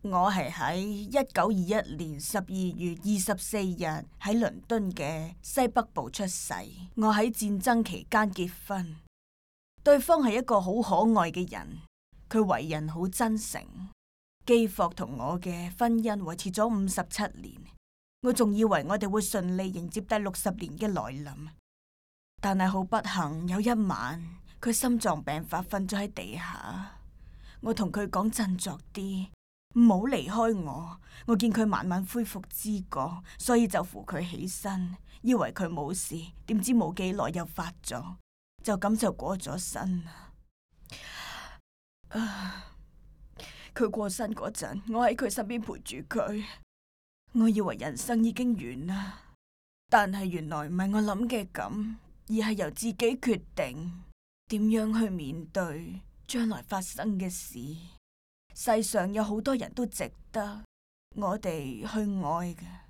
我係喺1921年12月24日喺倫敦嘅西北部出世。我喺戰爭期間結婚，對方係一個好可愛嘅人，佢為人好真誠。基霍同我嘅婚姻維持咗57年，我仲以為我哋會順利迎接第60年嘅來臨，但係好不幸，有一晚佢心臟病發，瞓咗喺地下。我同佢講振作啲，唔好離開我。我見佢慢慢恢復知覺，所以就扶佢起身，以為佢冇事，點知冇幾耐又發咗，就咁就過咗身啦。佢過身嗰陣，我喺佢身邊陪住佢，我以為人生已經完啦，但係原來唔係我諗嘅咁，而係由自己決定點樣去面對將來發生嘅事。世上有好多人都值得我哋去愛嘅。